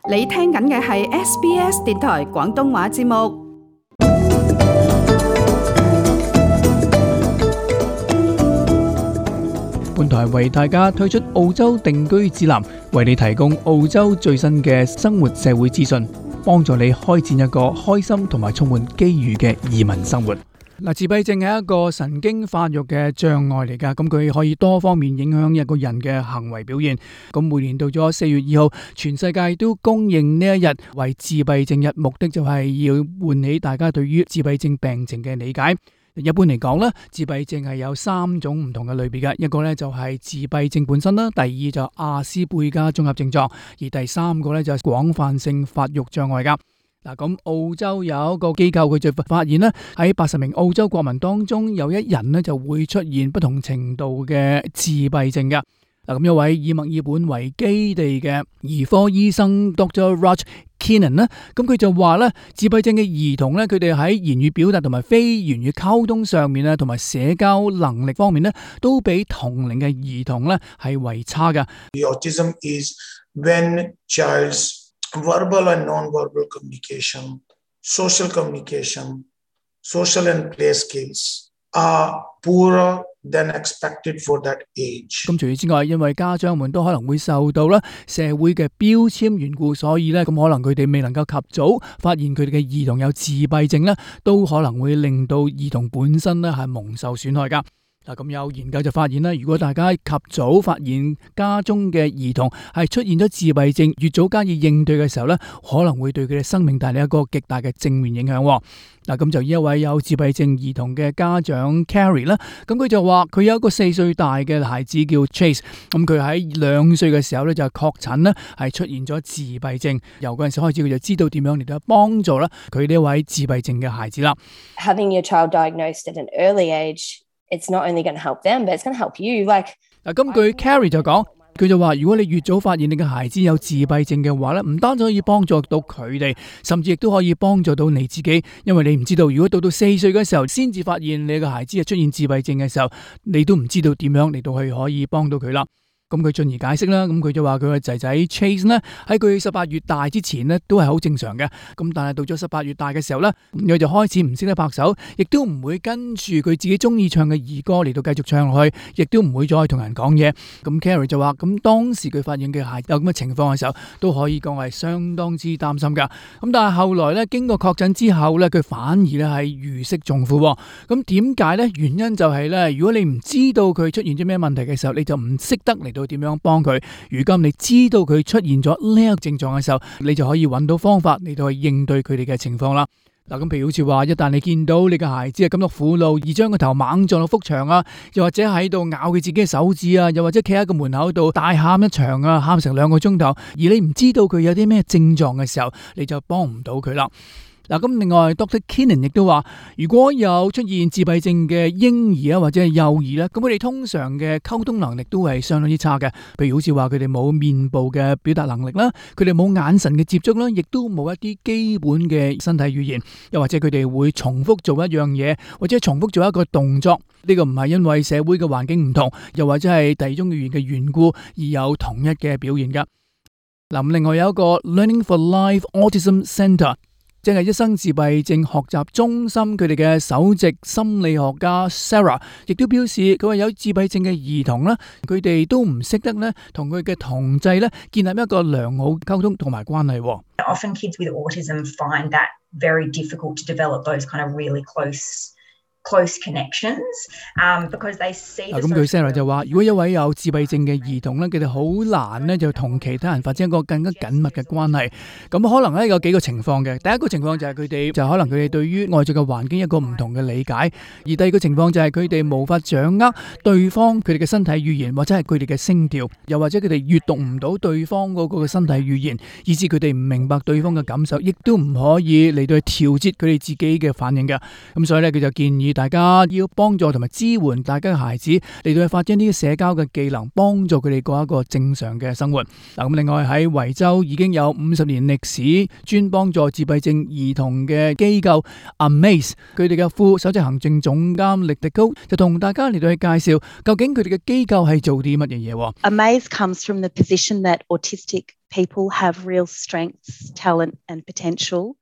你聽緊嘅係 SBS 電台廣東話節目。本台為大家推出澳洲定居指南，為你提供澳洲最新嘅生活社會資訊，幫助你開展一個開心同埋充滿機遇嘅移民生活。自閉症係一個神經發育嘅障礙嚟㗎，咁佢可以多方面影響一個人嘅行為表現。咁每年到咗4月2號，全世界都公認呢一日為自閉症日，目的就係要喚起大家對於自閉症病情嘅理解。一般嚟講咧，自閉症係有3種唔同嘅類別嘅，一個咧就係自閉症本身啦，第二就係亞斯貝加綜合症狀，而第三個咧就係廣泛性發育障礙噶。咁澳洲有一個機構佢就發現咧，喺80名澳洲國民當中有1人咧就會出現不同程度嘅自閉症嘅。咁一位以墨爾本為基地嘅兒科醫生 Dr. Raj Keenan 咧，咁佢就話咧，自閉症嘅兒童咧，佢哋喺言語表達同埋非言語溝通上面啊，同埋社交能力方面咧，都比同齡嘅兒童咧係為差嘅。Autism is when child's verbal and non-verbal communication, social and play skills are poorer than expected for that age。咁除此之外，因為家長們都可能會受到咧社會嘅標籤緣故，所以咧咁可能佢哋未能夠及早發現佢哋嘅兒童有自閉症咧，都可能會令到兒童本身咧係蒙受損害噶。咁有研究就發現啦，如果大家及早發現家中嘅兒童係出現咗自閉症，越早加以應對嘅時候咧，可能會對佢哋生命帶嚟一個極大嘅正面影響。咁就一位有自閉症兒童嘅家長 Carrie 啦，咁佢就話佢有一個4歲大嘅孩子叫 Chase， 咁佢喺2歲嘅時候咧就確診咧係出現咗自閉症，由嗰陣時開始佢就知道點樣嚟到幫助啦佢呢位自閉症嘅孩子啦。Having your child diagnosed at an early age.It's not only going to help them, but it's going to help you. 根據 Carrie 就講，佢就話如果你越早發現你嘅孩子有自閉症嘅話咧，唔單止可以幫助到佢哋，甚至亦都可以幫助到你自己，因為你唔知道如果到4歲嘅時候先至發現你嘅孩子係出現自閉症嘅時候，你都唔知道點樣嚟到去可以幫到佢啦。咁佢進而解釋啦，咁佢就話佢個仔仔 Chase 呢，喺佢18月大之前呢都係好正常嘅，咁但係到咗18月大嘅時候呢，佢就開始唔識得拍手，亦都唔會跟住佢自己中意唱嘅兒歌嚟到繼續唱落去，亦都唔會再同人講嘢。咁 Carrie 就話，咁當時佢發現嘅孩子有咁嘅情況嘅時候，都可以講係相當之擔心噶。咁但係後來呢，經過確診之後呢，佢反而呢係如釋重負。咁點解呢？原因就係呢，如果你唔知道佢出現咗咩問題嘅時候，你就唔識得嚟到點樣幫佢。如今你知道佢出現咗呢一個症狀嘅時候，你就可以揾到方法嚟到去應對佢哋嘅情況啦。咁譬如好似話，一旦你見到你嘅孩子係感到苦惱，而將個頭猛撞到幅牆啊，又或者喺度咬佢自己嘅手指啊，又或者企喺個門口度大喊一場啊，喊成2個鐘頭，而你唔知道佢有啲咩症狀嘅時候，你就幫唔到佢啦。咁另外 Dr. Keenan 亦都話，如果有出現自閉症嘅嬰兒啊或者係幼兒咧，咁佢哋通常嘅溝通能力都係相當之差嘅。譬如好似話佢哋冇面部嘅表達能力啦，佢哋冇眼神嘅接觸啦，亦都冇一啲基本嘅身體語言，又或者佢哋會重複做一樣嘢，或者重複做一個動作。呢個唔係因為社會嘅環境唔同，又或者係第二種語言嘅緣故而有同一嘅表現噶。另外有一個 Learning for Life Autism Centre，即係一生自閉症學習中心，佢哋嘅首席心理學家 Sarah 亦都表示，佢話有自閉症嘅兒童咧，佢哋都唔識得咧同佢嘅同儕咧建立一個良好溝通同埋關係。Often kids with autism find that very difficult to develop those kind of really close connections, because they see。咁佢 Sarah 就話，如果一位有自閉症嘅兒童咧，佢哋好難咧就同其他人發展一個更加緊密嘅關係。咁可能咧有幾個情況嘅。第一個情況就係佢哋就可能佢哋對於外在嘅環境一個唔同嘅理解，而第二個情況就係佢哋無法掌握對方佢哋嘅身體語言或者係佢哋嘅聲調，又或者佢哋閱讀唔到對方嗰個身體語言，以致佢哋唔明白對方嘅感受，亦都唔可以嚟到去調節佢哋自己嘅反應嘅。咁所以咧佢就建議議大家要幫助同埋支援大家嘅孩子嚟到去發展呢啲社交嘅技能，幫助佢哋過一個正常嘅生活。咁另外喺維州已經有50年歷史，專幫助自閉症兒童嘅機構 Amaze， 佢哋嘅副首席行政總監力迪高就同大家嚟到去介紹究竟佢哋嘅機構係做啲乜嘢嘢。Amaze comes from the position that autistic people have real strengths, talent and potential.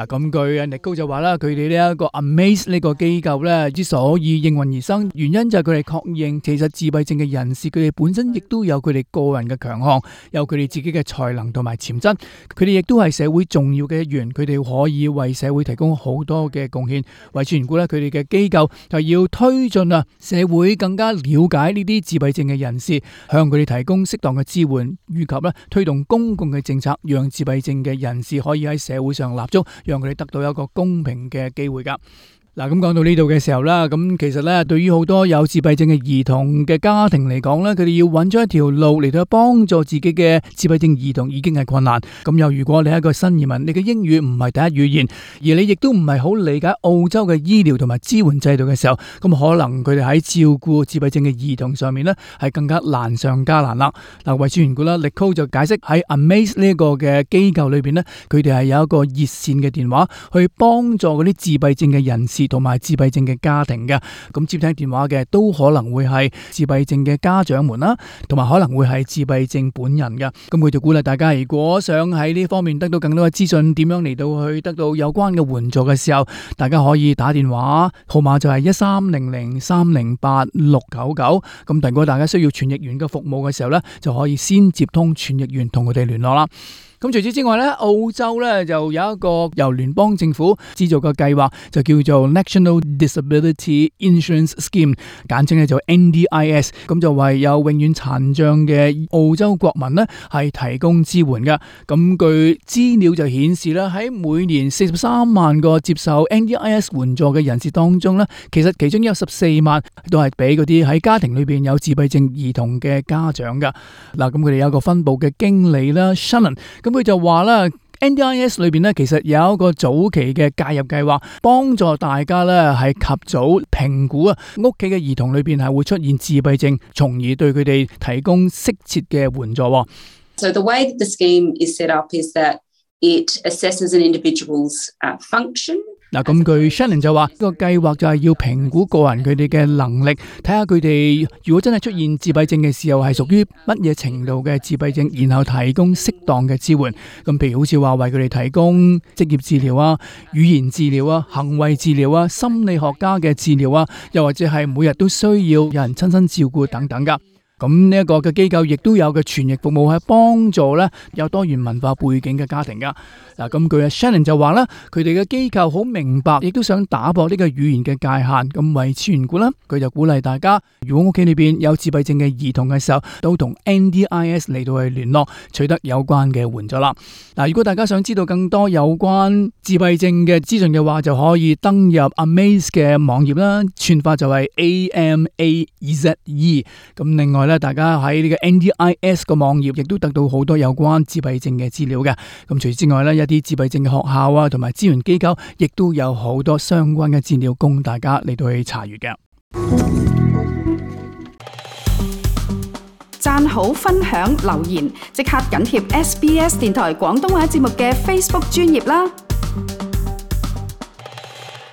咁據力高就話啦，佢哋呢一個 Amaze 呢個機構咧之所以應運而生，原因就係佢哋確認其實自閉症嘅人士佢哋本身亦都有佢哋個人嘅強項，有佢哋自己嘅才能同埋潛質，佢哋亦都係社會重要嘅一員，佢哋可以為社會提供好多嘅貢獻。為此緣故咧，佢哋嘅機構就要推進社會更加了解呢啲自閉症嘅人士，向佢哋提供適當嘅支援，以及推動公共嘅政策，讓自閉症嘅人士可以喺社會上立足，讓佢哋得到一個公平嘅機會㗎。嗱，咁講到呢度嘅時候啦，咁其實咧，對於好多有自閉症嘅兒童嘅家庭嚟講咧，佢哋要揾咗一條路嚟到幫助自己嘅自閉症兒童已經係困難。咁又如果你係一個新移民，你嘅英語唔係第一語言，而你亦都唔係好理解澳洲嘅醫療同埋支援制度嘅時候，咁可能佢哋喺照顧自閉症嘅兒童上面咧係更加難上加難啦。嗱，為此緣故啦，Nicole就解釋喺 Amaze 呢個嘅機構裏邊咧，佢哋係有一個熱線嘅電話去幫助嗰啲自閉症嘅人士同埋自閉症嘅家庭嘅。咁接聽電話嘅都可能會係自閉症嘅家長們啦，同埋可能會係自閉症本人嘅。咁佢就鼓勵大家，如果想喺呢方面得到更多嘅資訊，點樣嚟到去得到有關嘅援助嘅時候，大家可以打電話，號碼就係1300308699。咁如果大家需要傳譯員嘅服務嘅時候呢，就可以先接通傳譯員同佢哋聯絡啦。咁除此之外咧，澳洲咧就有一個由聯邦政府資助嘅計劃，就叫做 National Disability Insurance Scheme， 簡稱咧就 NDIS。咁就為有永遠殘障嘅澳洲國民咧係提供支援嘅。咁據資料就顯示啦，喺每年43萬個接受 NDIS 援助嘅人士當中咧，其實其中有14萬都係俾嗰啲喺家庭裏邊有自閉症兒童嘅家長噶。嗱，咁佢哋有一個分部嘅經理啦 Shannon， 咁佢就話啦 NDIS 裏邊咧，其實有一個早期嘅介入計劃，幫助大家咧係及早評估屋企嘅兒童裏邊係會出現自閉症，從而對佢哋提供適切嘅援助。So the way that the scheme is set up is that it assesses an individual's function. 嗱，咁據 Shannon 就話，呢個計劃就係要評估個人佢哋嘅能力，睇下佢哋如果真係出現自閉症嘅時候係屬於乜嘢程度嘅自閉症，然後提供適當嘅支援。咁譬如好似話為佢哋提供職業治療啊、語言治療啊、行為治療啊、心理學家嘅治療啊，又或者係每日都需要有人親身照顧等等噶。咁呢一個嘅機構亦都有嘅傳譯服務，係幫助咧有多元文化背景嘅家庭噶。嗱，咁據 Shannon 就話啦，佢哋嘅機構好明白，亦都想打破呢個語言嘅界限。咁為此緣故啦，佢就鼓勵大家，如果屋企裏邊有自閉症嘅兒童嘅時候，都同 NDIS 嚟到去聯絡，取得有關嘅援助啦。嗱，如果大家想知道更多有關自閉症嘅資訊嘅話，就可以登入 Amaze 嘅網頁啦，串法就係 AMAZE。咁另外大家喺呢個 NDIS 個網頁亦都得到好多有關自閉症嘅資料嘅。咁除此之外一啲自閉症嘅學校啊，同埋資源機構，亦都有好多相關嘅資料供大家嚟到去查閱嘅。讚好、分享、留言，即刻緊貼SBS 電台廣東話節目嘅 Facebook 專頁啦！